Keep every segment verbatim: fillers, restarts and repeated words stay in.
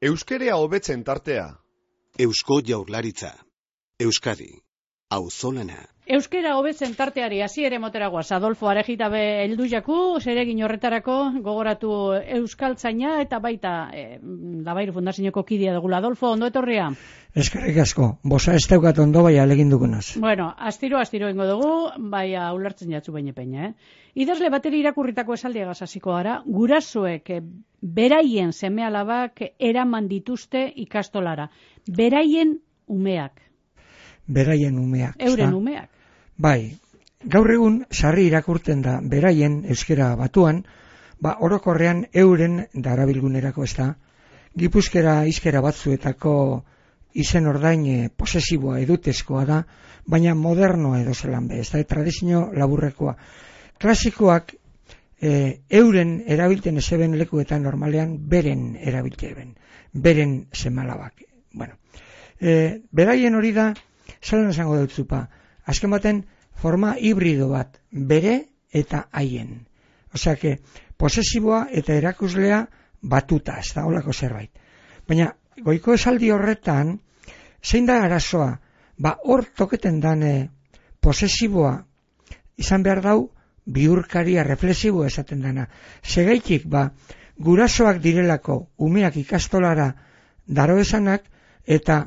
Euskerea hobetzen tartea. Eusko Jaurlaritza. Euskadi. Auzolana. Euskera hobetzen tarteari hasiere moteragoaz. Adolfo Arejitabe heldu jaku, zeregin horretarako gogoratu euskaltzaina eta baita e, Labairu Fundazioko kidea dugula. Adolfo, ondo etorria? Eskerrik asko, bosa ez daukat ondo bai alegin dugunaz. Bueno, astiro, astiro ingo dugu, bai ulertzen jatzu baina peina, eh? Idazle bateri irakurritako esaldiagaz hasiko gara, gurasoek beraien seme-alabak eraman dituzte ikastolara. Beraien umeak. Beraien umeak. Euren umeak. Bai, gaur egun sarri irakurten da beraien euskera batuan, ba orokorrean euren darabilgunerako ez da, gipuzkera hizkera batzuetako izen ordain e, posesiboa edutezkoa da, baina modernoa edo zelan be, ez da, tradizio laburrekoa. Klasikoak e, euren erabilten ezeben lekuetan normalean beren erabilteben, beren semalabak. Bueno, e, beraien hori da, zelan esango dut zupa, azken baten forma hibrido bat, bere eta haien. Osea, que posesiboa eta erakuslea batuta, ez da, holako zerbait. Baina, goiko esaldi horretan, zein da arazoa, ba hor toketen dane posesiboa izan behar dau bihurkaria reflexiboa esaten dana. Segaitik, ba, gurasoak direlako umeak ikastolara daro esanak eta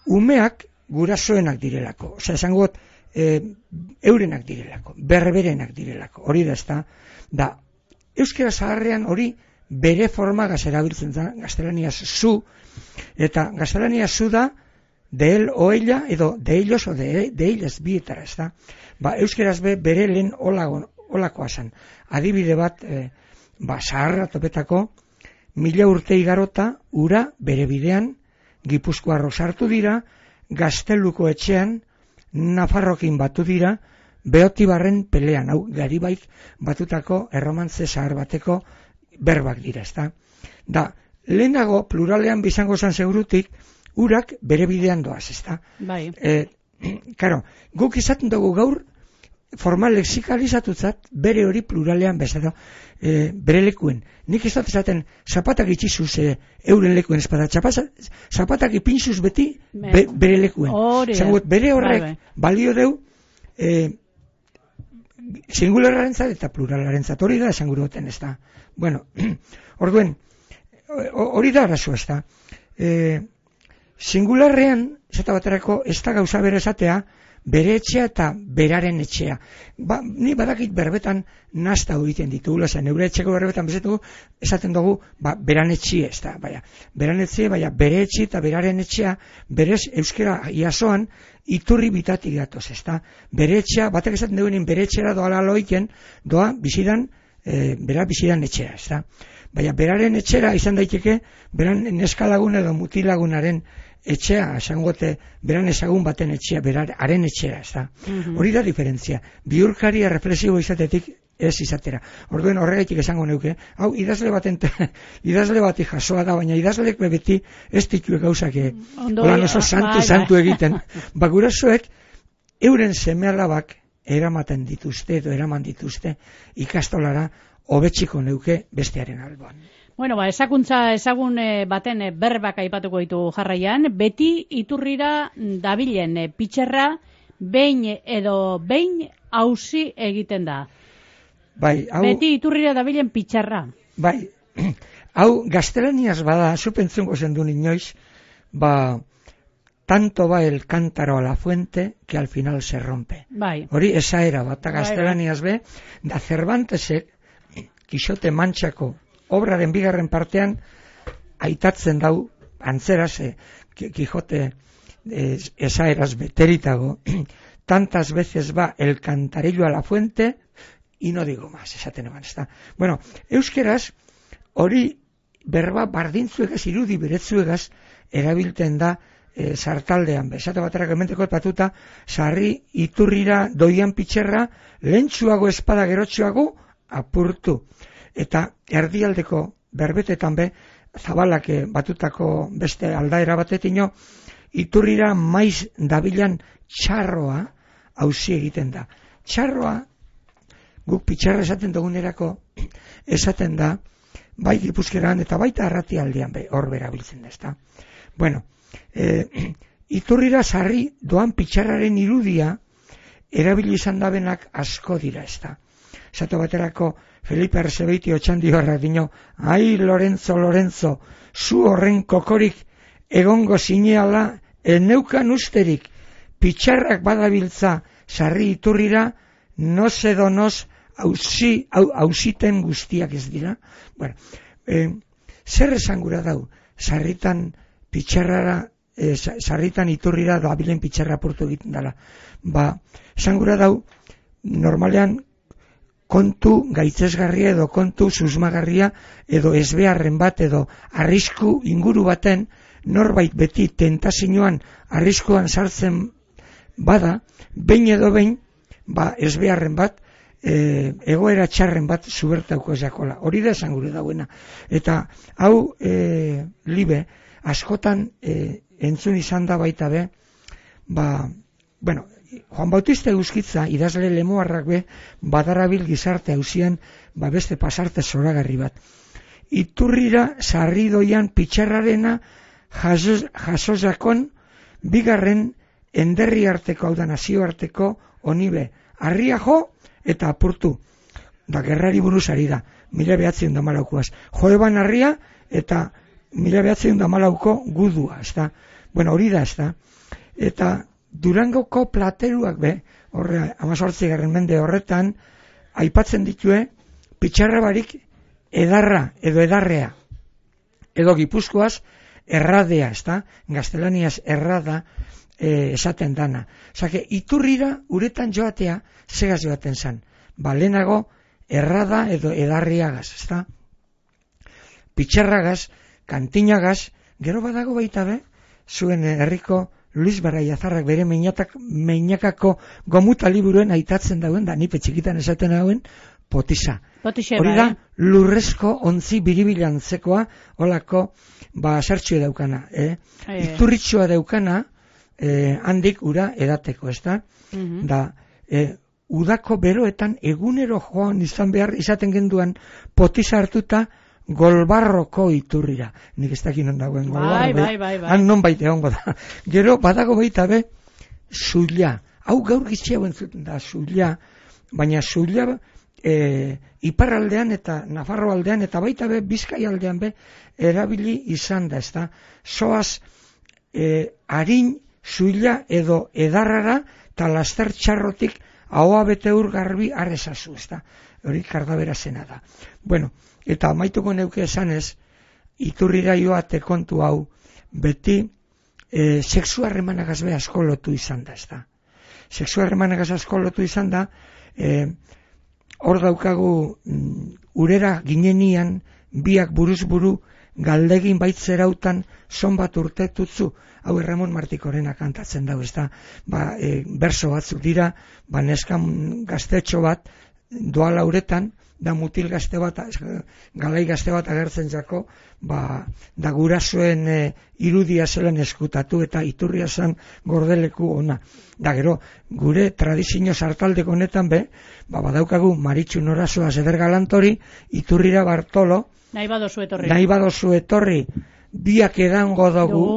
umeak gurasoenak direlako. Osea, esango got, e, eurenak direlako, berberenak direlako. Hori da, ez da, da, euskera zaharrean hori bere forma gazerabiltzen da, gaztelaniaz zu, eta gaztelaniaz zu da, de él o ella, edo de ellos o de, de ellas bietara, ez da. Ba, euskeraz be, bere lehen olakoa zan. Adibide bat, e, ba, zaharra topetako, mila urte igarota, ura bere bidean, Gipuzkoarro sartu dira, Gazteluko etxean, Nafarrokin batu dira, Beotibarren pelean, hau, Garibaik batutako erromantze zahar bateko berbak dira, ez da. Da, lehenago, pluralean bizango zan segurutik, urak bere bidean doaz, ez da. Bai. E, karo, guk izaten dugu gaur, formal lexikalizatutzat, bere hori pluralean bezala, e, bere lekuen. Nik ez dut esaten, zapatak itxizuz e, euren lekuen espada, zapatak ipinzuz beti be, bere lekuen. Zagut, bere horrek bai, bai. Balio deu, e, singularrarentzat eta pluralarentzat, hori da esan gure goten ez da. Bueno, orduen, hori da arazo ez da. E, singularrean, zeta baterako, ez da gauza bere esatea, bere etxea eta beraren etxea. Ba, ni badakit berbetan nazta egiten ditugula, zen eure etxeko berbetan bezetugu, esaten dugu, ba, beran etxie, ez da, baina, beran etxie, baina, bere etxie eta beraren etxea, berez euskera iasoan, iturri bitatik datoz, ez da, bere etxea, batek esaten dugunin bere etxera doa laloiken, doa bizidan, e, bera bizidan etxea, ez da, baina, beraren etxera izan daiteke, beran neskalagun edo mutilagunaren etxea, esangote, beran ezagun baten etxea, berar, haren etxera, ez da. Mm-hmm. Hori da diferentzia. Bihurkaria reflexibo izatetik ez izatera. Orduen horregaitik esango neuke, hau idazle baten, idazle bati jasoa da, baina idazleek beti ez ditue gauzak, holan oso santu, santu egiten. Ba, gurasoek, euren seme-alabak eramaten dituzte, edo eraman dituzte, ikastolara, hobetziko neuke bestearen alboan. Bueno, ba, ezakuntza ezagun e, baten e, berbak aipatuko ditu jarraian, beti iturrira dabilen e, pitxerra, behin edo behin auzi egiten da. Bai, hau, beti iturrira dabilen pitxerra. Bai, hau gaztelaniaz bada, zupentzungo zendu inoiz, ba, tanto va el cántaro a la fuente que al final se rompe. Bai. Hori esa era, bata gaztelaniaz be, da Cervantesek, Kixote Mantxako obraren bigarren partean aitatzen dau antzeraz eh, Quijote eh, esaeraz beteritago tantas veces va el cantarillo a la fuente y no digo más, esaten eman, ez da. Bueno, euskeraz hori berba bardintzuegaz, irudi beretzuegaz erabilten da e, sartaldean, esate baterak ementeko patuta, sarri iturrira doian pitxerra, lentsuago espada gerotsuago apurtu. Eta erdialdeko berbetetan be, zabalak batutako beste aldaera batetino, iturrira maiz dabilan txarroa auzi egiten da. Txarroa, guk pitxarra esaten dugunerako, esaten da, bai Gipuzkeran eta baita Arratialdean be, hor berabiltzen da, ezta. Bueno, e, Iturrira sarri doan pitxarraren irudia erabili izan dabenak asko dira, ezta. Zato baterako Felipe Arzebeiti otxandibarrak dino, ai Lorenzo, Lorenzo, zu horren kokorik egongo zineala eneukan usterik, pitxarrak badabiltza sarri Iturrira, noz edo noz hausi, hausiten guztiak ez dira. Bueno, e, zer esan gura dau, sarritan pitxarrara, e, sarritan Iturrira dabilen pitxarra apurtu egiten dela. Ba, esan gura dau, normalean kontu gaitzesgarria edo kontu susmagarria edo ezbeharren bat edo arrisku inguru baten norbait beti tentazioan arriskuan sartzen bada, behin edo behin, ba, ezbeharren bat, e, egoera txarren bat zubertauko ezakola. Hori da esan gure dauena. Eta hau e, libe, askotan e, entzun izan da baita be, ba, bueno, Juan Bautista Euskitza, idazle lemoarrak be, badarabil gizarte hausian, ba beste pasarte zoragarri bat. Iturrira sarri doian pitxarrarena jasozakon bigarren enderri arteko, hau da nazio arteko, onibe, harria jo eta apurtu. Da, gerrari buruz ari da, mila behatzen da malaukoaz. Joeban harria eta mila behatzen da malauko gudua, ez da. Bueno, hori da, ez da. Eta Durangoko plateruak be, horre, amazortzigarren mende horretan, aipatzen ditue, pitxarra barik edarra edo edarrea. Edo Gipuzkoaz erradea, ez da, gaztelaniaz errada e, esaten dana. Zake, Iturrira uretan joatea, segaz joaten zan. Ba, lehenago errada edo edarriagaz, ez da. Pitxarragaz, kantinagaz, gero badago baita be, zuen herriko Luis Baraiazarrak bere meinatak, meinakako gomuta liburuen aitatzen dauen, da nipe txikitan esaten dauen, potisa. Potisa hori da, lurrezko ontzi biribilantzekoa, olako, ba, sartxue daukana. Eh? E. Iturritxoa daukana, eh, handik ura edateko, ez da? Uh-huh. Da, eh, udako beroetan egunero joan izan behar izaten genduan potisa hartuta, Golbarroko Iturrira. Nik ez dakin non dagoen Golbarro. Bai, bai, bai, bai. Han non baita egongo da. Gero, badago baita be, Zulia. Hau gaur gitxea entzuten da, Zulia. Baina Zulia e, iparraldean eta Nafarro aldean eta baita be, Bizkai aldean be, erabili izan da, ez da. Soaz, e, harin Zulia edo edarrara eta laster txarrotik ahoa bete ur garbi arrezazu, ez da. Hori kardabera zena da. Bueno, eta amaituko neuke esanez, Iturrira joate kontu hau, beti e, sexu harremanagaz be asko lotu izan da, ez da. Sexu harremanagaz asko lotu izan da, e, hor daukagu mm, urera ginenian, biak buruz buru, galdegin baitzerautan, zon bat urte tutzu, hau Ramon Martikorena kantatzen dago, ez da. Ba, e, berso batzuk dira, ba, neskan gaztetxo bat, doala uretan, da mutil gazte bat, galai gazte bat agertzen jako, ba, da gurasoen e, irudia zelan eskutatu eta Iturria zan gordeleku ona. Da gero, gure tradizio sartaldeko honetan be, ba, badaukagu Maritxu Norazoa Zeder Galantori, Iturrira Bartolo, nahi badozu etorri, nahi badozu etorri, biak edango dugu,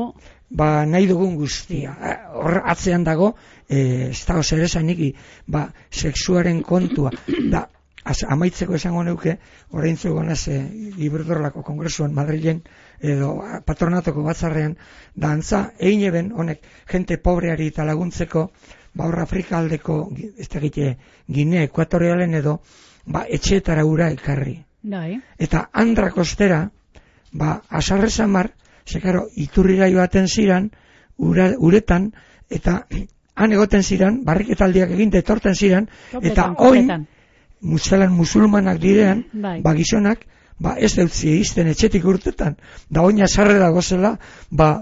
ba, nahi dugun guztia. Hor atzean dago, e, ez dago zer esanik, ba, sexuaren kontua, da, Az, amaitzeko esango neuke, orain zuegonaz e, Iberdrolako kongresuan Madrilen edo patronatoko batzarrean, da antza, egin eben, honek, jente pobreari eta laguntzeko, ba hor Afrika aldeko, ez da egite, Ginea Ekuatorialen edo, ba etxeetara ura ekarri. Dai. Eta Andra kostera, ba asarre samar, sekaro, Iturrira joaten ziran, ura, uretan, eta han egoten ziran, barriketaldiak eginte etorten ziran, Topetan, eta topetan. oin, muzelan musulmanak direan, bai. ba gizonak, ba ez deutzi izten etxetik urtetan, da oina sarre dago zela, ba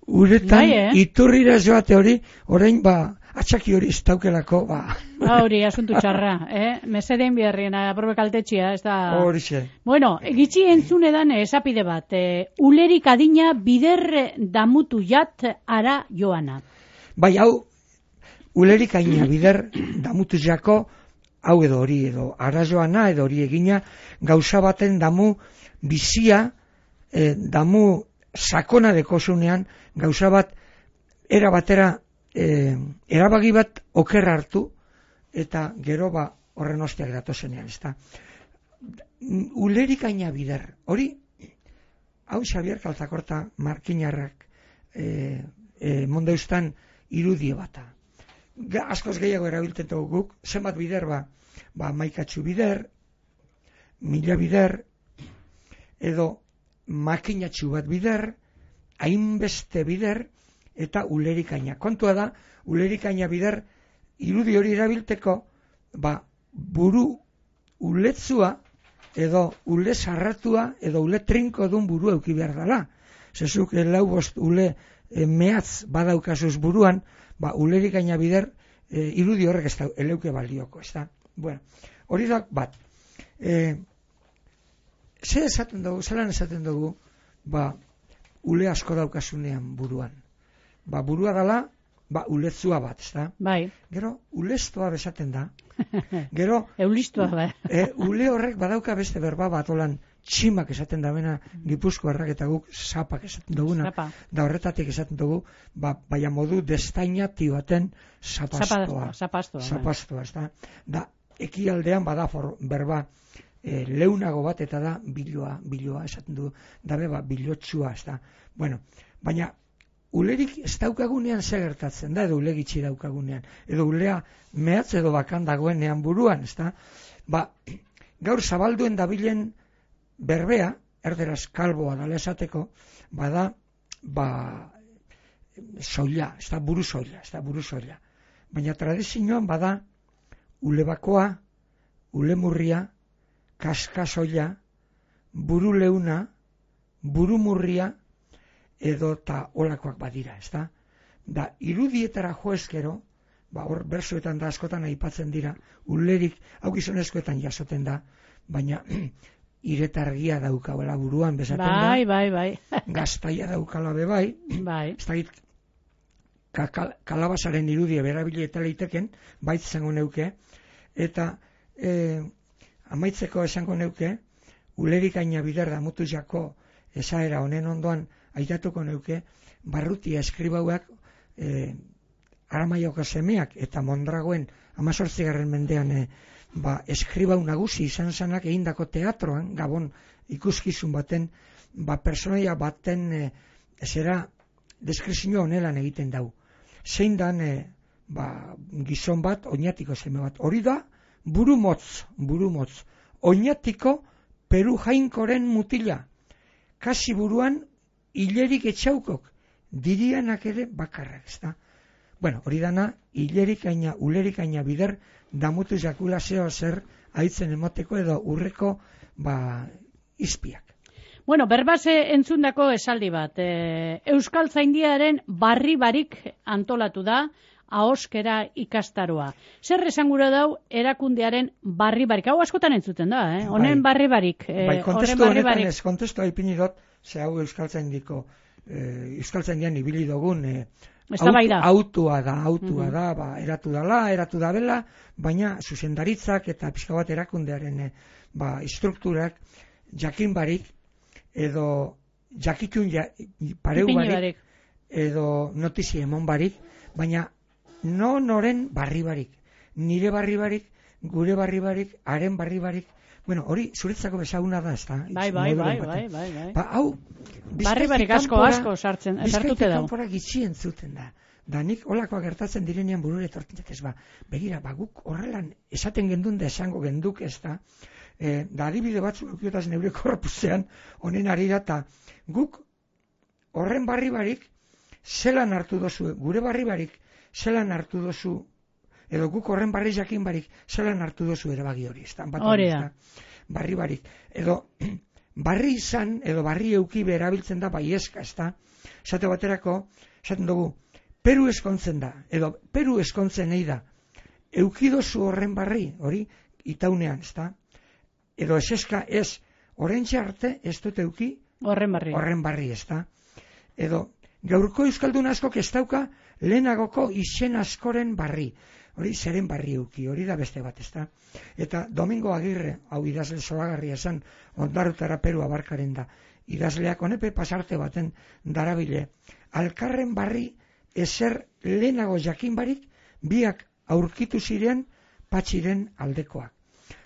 uretan bai, eh? Iturrira joate hori, orain ba atxaki hori ez daukelako, ba. Hori, asuntu txarra, eh? Meseden biherrien, aprobe kaltetxia, ez da. Horixe. Bueno, gitxi entzun edan esapide bat, e, ulerik adina bider damutu jat ara joana. Bai, hau, ulerik aina bider damutu jako, hau edo hori edo arazoana edo hori egina, gauza baten damu bizia, e, damu sakona dekosunean, gauza bat era batera e, erabagi bat oker hartu, eta gero ba horren ostiak datozenean, ezta. Ulerikaina bider, hori, hau Xabier Kaltakorta markinarrak e, e, mondeustan irudio bata. Askoz gehiago erabiltzen dugu guk, zenbat bider ba, ba maikatxu bider, mila bider, edo makinatxu bat bider, hainbeste bider, eta ulerikaina. Kontua da, ulerikaina bider, irudi hori erabilteko, ba, buru uletzua, edo ule sarratua, edo ule trinko dun buru euki behar dela. Zezuk, lau bost ule e, mehatz badaukazuz buruan, ba, ulerikaina bider, e, irudi horrek ez da, eleuke balioko, ez da. Bueno, hori da, bat, e, ze esaten dugu, zelan esaten dugu, ba, ule asko daukasunean buruan. Ba, burua dela, ba, uletzua bat, ez da. Bai. Gero, uleztoa besaten da. Gero, Eulistua da. E, ule horrek badauka beste berba bat olan tximak esaten da bena Gipuzkoarrak eta guk zapak esaten duguna. Zapa. Da horretatik esaten dugu, ba, baina modu destainati baten zapastoa. Zapastoa. Zapastoa, ez da. Da, ekialdean bada for, berba e, leunago bat eta da biloa, biloa esaten du, da beba bilotsua, ez da. Bueno, baina ulerik ez daukagunean ze gertatzen da, edo ule gitxi daukagunean, edo ulea mehatz edo bakan dagoenean buruan, ez da. Ba, gaur zabalduen dabilen berbea, erderaz kalboa dala esateko, bada, ba, soila, ez da, buru soila, ez da, buru soila. Baina tradizioan bada, ule bakoa, ule murria, kaska soila, buru leuna, buru murria, edo eta olakoak badira, ez da? Da, irudietara joezkero, ba, hor, bersuetan da askotan aipatzen dira, ulerik, hau gizonezkoetan jasoten da, baina iretargia daukabela buruan bezaten da. Bai, bai, bai. Gaztaia daukala be bai. Bai. Ez da, ka, kal, kalabazaren irudia berabili eta leiteken, baitz zango neuke, eta e, amaitzeko esango neuke, ulerikaina bider da mutu jako esaera honen ondoan aitatuko neuke, barrutia eskribauak e, Aramaioko semeak eta Mondragoen amazortzigarren mendean e, ba, eskribau nagusi izan zanak egindako teatroan, Gabon ikuskizun baten, ba, personaia baten e, zera deskrizio honelan egiten dau. Zein dan e, ba, gizon bat, oinatiko seme bat. Hori da, buru motz, buru motz. Oinatiko Peru jainkoren mutila. Kasi buruan hilerik etxaukok, dirianak ere bakarrak, ez da. Bueno, hori dana, hilerikaina, ulerikaina bider, damutu jakula zeo zer haitzen emoteko edo urreko, ba, izpiak. Bueno, berbase entzundako esaldi bat. E, Euskal Zaindiaren barri barik antolatu da, ahoskera ikastaroa. Zer esangura dau erakundearen barri barik? Hau askotan entzuten da, eh? Honen Bai. barri barik. E, Bai, kontestu barri honetan barik. ez, kontestu haipini dut, ze hau Euskaltzaindiko, eh, Euskaltzaindian ibili dugun, eh, Eztabaida. autua da, autua Mhm. da, ba, eratu dala, eratu da bela, baina zuzendaritzak eta pixka bat erakundearen eh, ba, estrukturak jakin barik, edo jakitun ja, pareu Ipini barik, barik. edo notizia emon barik, baina no noren barri barik, nire barri barik, gure barri barik, haren barri barik, bueno, hori zuretzako bezaguna da, ez da? Bai, bai, bai, bai, bai, bai. Ba, hau, Barri barik asko, asko sartzen, sartute dau. kanpora gitxi entzuten da. Da nik olakoak gertatzen direnean burure etortzen ez ba. Begira, ba, guk horrelan esaten gendun da esango genduk ez da. E, da adibide batzuk eukiotaz neure korpusean honen ari da, eta guk horren barri barik zelan hartu dozu, gure barri barik zelan hartu dozu, edo guk horren barri jakin barik zelan hartu dozu erabagi hori, ez da. Hori da. Barri barik. Edo barri izan, edo barri euki erabiltzen da bai eska, ez da. Esate baterako, esaten dugu, Peru eskontzen da, edo Peru eskontzen nahi da. Eukidozu horren barri, hori, itaunean, ez da. Edo eseska ez, orentxe arte ez dut euki Horren barri. horren barri, ez da. Edo, gaurko euskaldun askok ez dauka lehenagoko izen askoren barri. hori zeren barri euki, hori da beste bat, ezta? Eta Domingo Agirre, hau idazle zoragarria esan, Ondarrutara Peru abarkaren da, idazleak honepe pasarte baten darabile, alkarren barri ezer lehenago jakin barik, biak aurkitu ziren patxiren aldekoak.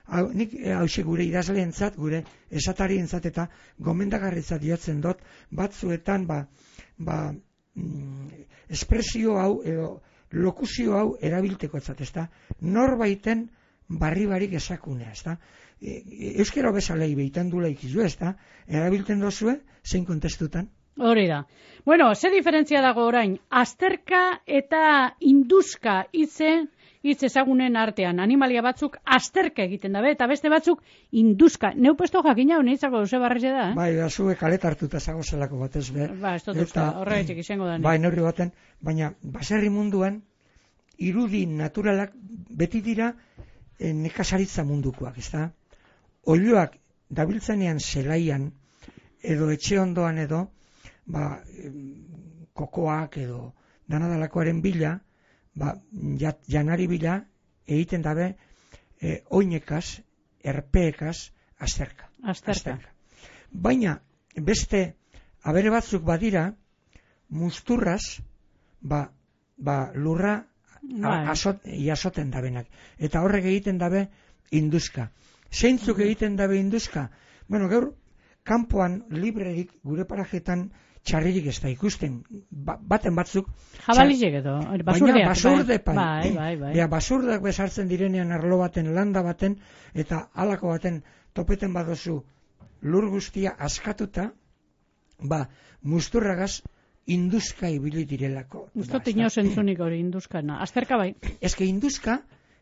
Hau, nik hause gure idazleentzat, gure esatarientzat eta gomendagarritzat diotzen dut, batzuetan ba, ba, mm, espresio hau edo lokuzio hau erabilteko etzat, ezta? Norbaiten barri barik esakunea, ezta? E, euskero bezalei behitan dula ikizu, ezta? Erabilten dozue, zein kontestutan? Hori da. Bueno, ze diferentzia dago orain? Azterka eta induzka hitze hitz ezagunen artean. Animalia batzuk azterka egiten dabe, eta beste batzuk induzka. Neu puesto jakina honitzako duze barreze da, eh? Bai, da, zuek kaleta hartuta zagozelako batez be. Ba, ez dut uste, horregatik izango da. Bai, neurri baten, baina baserri munduan, irudi naturalak beti dira e, nekazaritza mundukoak, ezta? Oiloak dabiltzenean zelaian, edo etxe ondoan edo, ba, kokoak edo danadalakoaren bila, ba, jat, janari bila egiten dabe e, oinekaz, erpeekaz, azterka. Azterka. Baina, beste abere batzuk badira, musturraz, ba, ba lurra azot, jasoten dabenak. Eta horrek egiten dabe induzka. Zeintzuk egiten dabe induzka? Bueno, gaur, kanpoan librerik gure parajetan txarririk ez da ikusten, ba, baten batzuk jabalizek edo, basurdeak, baina basurde bai, bai, bai, bai. Ja, basurdeak bezartzen direnean arlo baten, landa baten eta halako baten topeten badozu lur guztia askatuta, ba, musturragaz induzka ibili direlako. Ustot ino zentzunik hori induzkana, azterka bai. Eske induzka,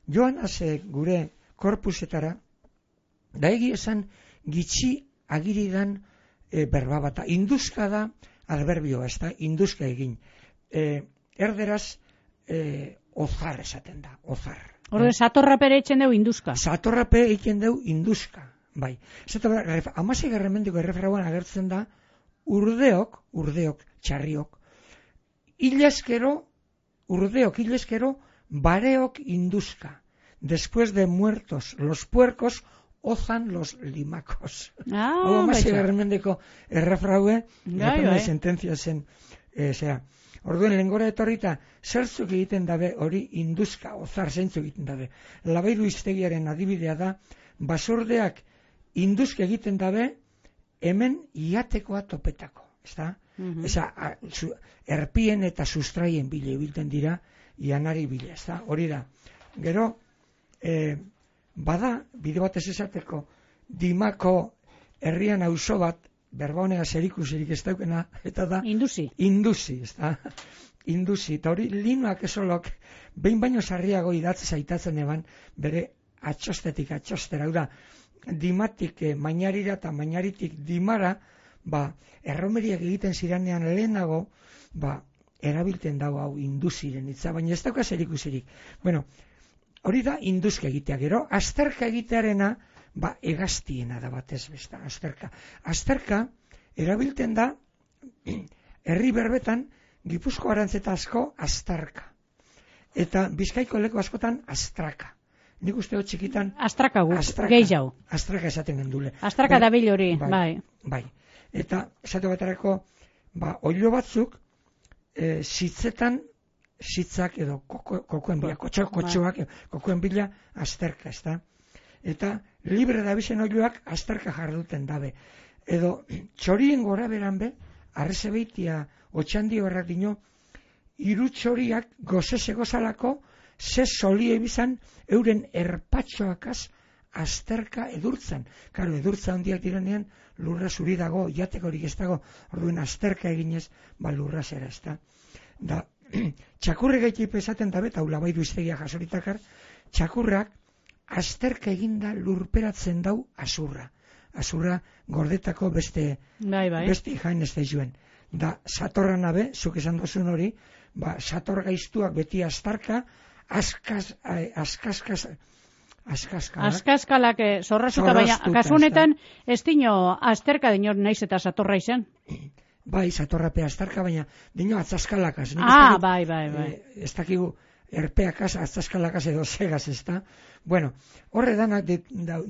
joan haze gure korpusetara, da egi esan gitxi agiridan e, berba bata. Induzka da adverbioa, ez da, induzka egin. E, erderaz, e, ozar esaten da, ozar. Horde, eh? Satorrapere etxen deu induzka. Satorrape egiten deu induzka, bai. Zeta, amasi garramendiko errefrauan agertzen da, urdeok, urdeok, txarriok, hilezkero, urdeok, hilezkero, bareok induzka. Después de muertos los puercos, ozan los limacos. Ah, hau amasi garramendiko errefraue, bai, bai. Sententzia zen, e, zera, orduen lengora etorrita, zertzuk egiten dabe hori induzka, ozar zeintzuk egiten dabe. Labairu iztegiaren adibidea da, basurdeak induzka egiten dabe, hemen iatekoa topetako, ezta? Mm-hmm. Eza, a, zu, erpien eta sustraien bile bilten dira, ianari bile, ezta? Hori da. Gero, e, bada, bide batez esateko, Dimako herrian auzo bat, berba honega zerikusirik ez daukena, eta da... Induzi. Induzi, ez da? Induzi, eta hori linuak esolok, behin baino sarriago idatzi zaitatzen eban, bere atxostetik atxostera, da, dimatik eh, mainarira eta mainaritik dimara, ba, erromeriak egiten ziranean lehenago, ba, erabilten dago hau induziren hitza, baina ez dauka zerikusirik. Bueno, hori da induzka egitea, gero, azterka egitearena, ba, egaztiena da batez besta, azterka. Azterka, erabilten da, herri berbetan, Gipuzko arantzeta asko, aztarka. Eta Bizkaiko leku askotan, astraka. Nik uste hot txikitan... Astraka gu, gehi jau. Astraka esaten gendule. Astraka da bil hori, bai. Bai. bai. Eta, esate baterako, ba, oilo batzuk, e, zitzetan, zitzak edo koko, kokoen bila, kotxo, kotxoak, kokoen bila, azterka, ez da? Eta libre da bizen oiloak azterka jarduten dabe. Edo txorien gora beran be, arrezebeitia otxandi horrak dino, hiru txoriak gozese gozalako, ze solie bizan euren erpatxoakaz azterka edurtzen. Karo, edurtza handiak direnean, lurra zuri dago, jatekorik ez dago, orduen azterka eginez, ba lurra zera ez da. Da, txakurre gaitipe esaten dabe, eta ula baidu iztegia jasoritakar, txakurrak azterka eginda lurperatzen dau azurra. Azurra gordetako beste, bai, bai. beste jain ez da joen. Da, satorra nabe, zuk esan dozun hori, ba, sator gaiztuak beti aztarka, askaz, askazkaz, askazkalak. Askazkalak zorrazuka, baina kasunetan ez dino azterka dinor naiz eta satorra izan. Bai, satorrape aztarka, baina dino atzaskalakaz. Ah, bai, bai, bai. E, ez dakigu, erpeakaz, aztaskalakaz edo segaz, ez da? Bueno, horre danak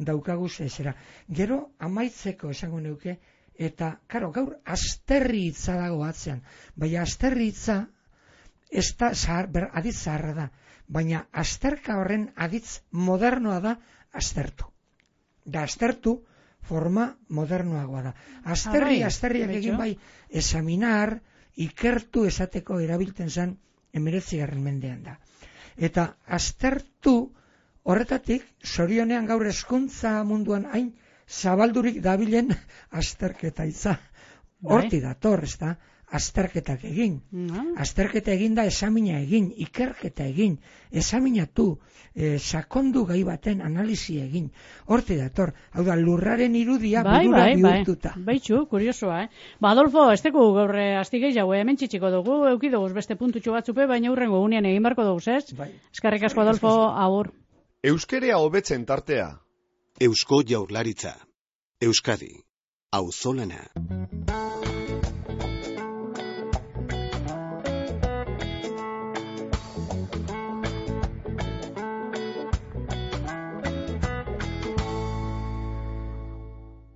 daukaguz ezera. Gero, amaitzeko esango neuke, eta, karo, gaur azterri hitza dago atzean, baina azterri hitza ez da, zahar, ber, aditz zaharra da, baina azterka horren aditz modernoa da aztertu. Da aztertu forma modernoagoa da. Azterri, azterriak egin bai, examinar, ikertu esateko erabiltzen zen emeretzigarren mendean da. Eta aztertu horretatik, zorionean gaur hezkuntza munduan hain zabaldurik dabilen azterketa itza. Horti dator, ez da, azterketak egin. No. Azterketa egin da esamina egin, ikerketa egin, esaminatu, e, sakondu gai baten analizi egin. Horti dator, hau da, lurraren irudia bai, burura bai, bihurtuta. Bai, baitxu, kuriosoa, eh? Ba, Adolfo, ez teku gaur astigei jau, hemen txitxiko dugu, eukidoguz beste puntutxo batzupe, baina hurrengo unean egin barko dugu, ez? Bai. Eskarrik asko, Adolfo, agur. Euskerea hobetzen tartea. Eusko Jaurlaritza. Euskadi. Auzolana.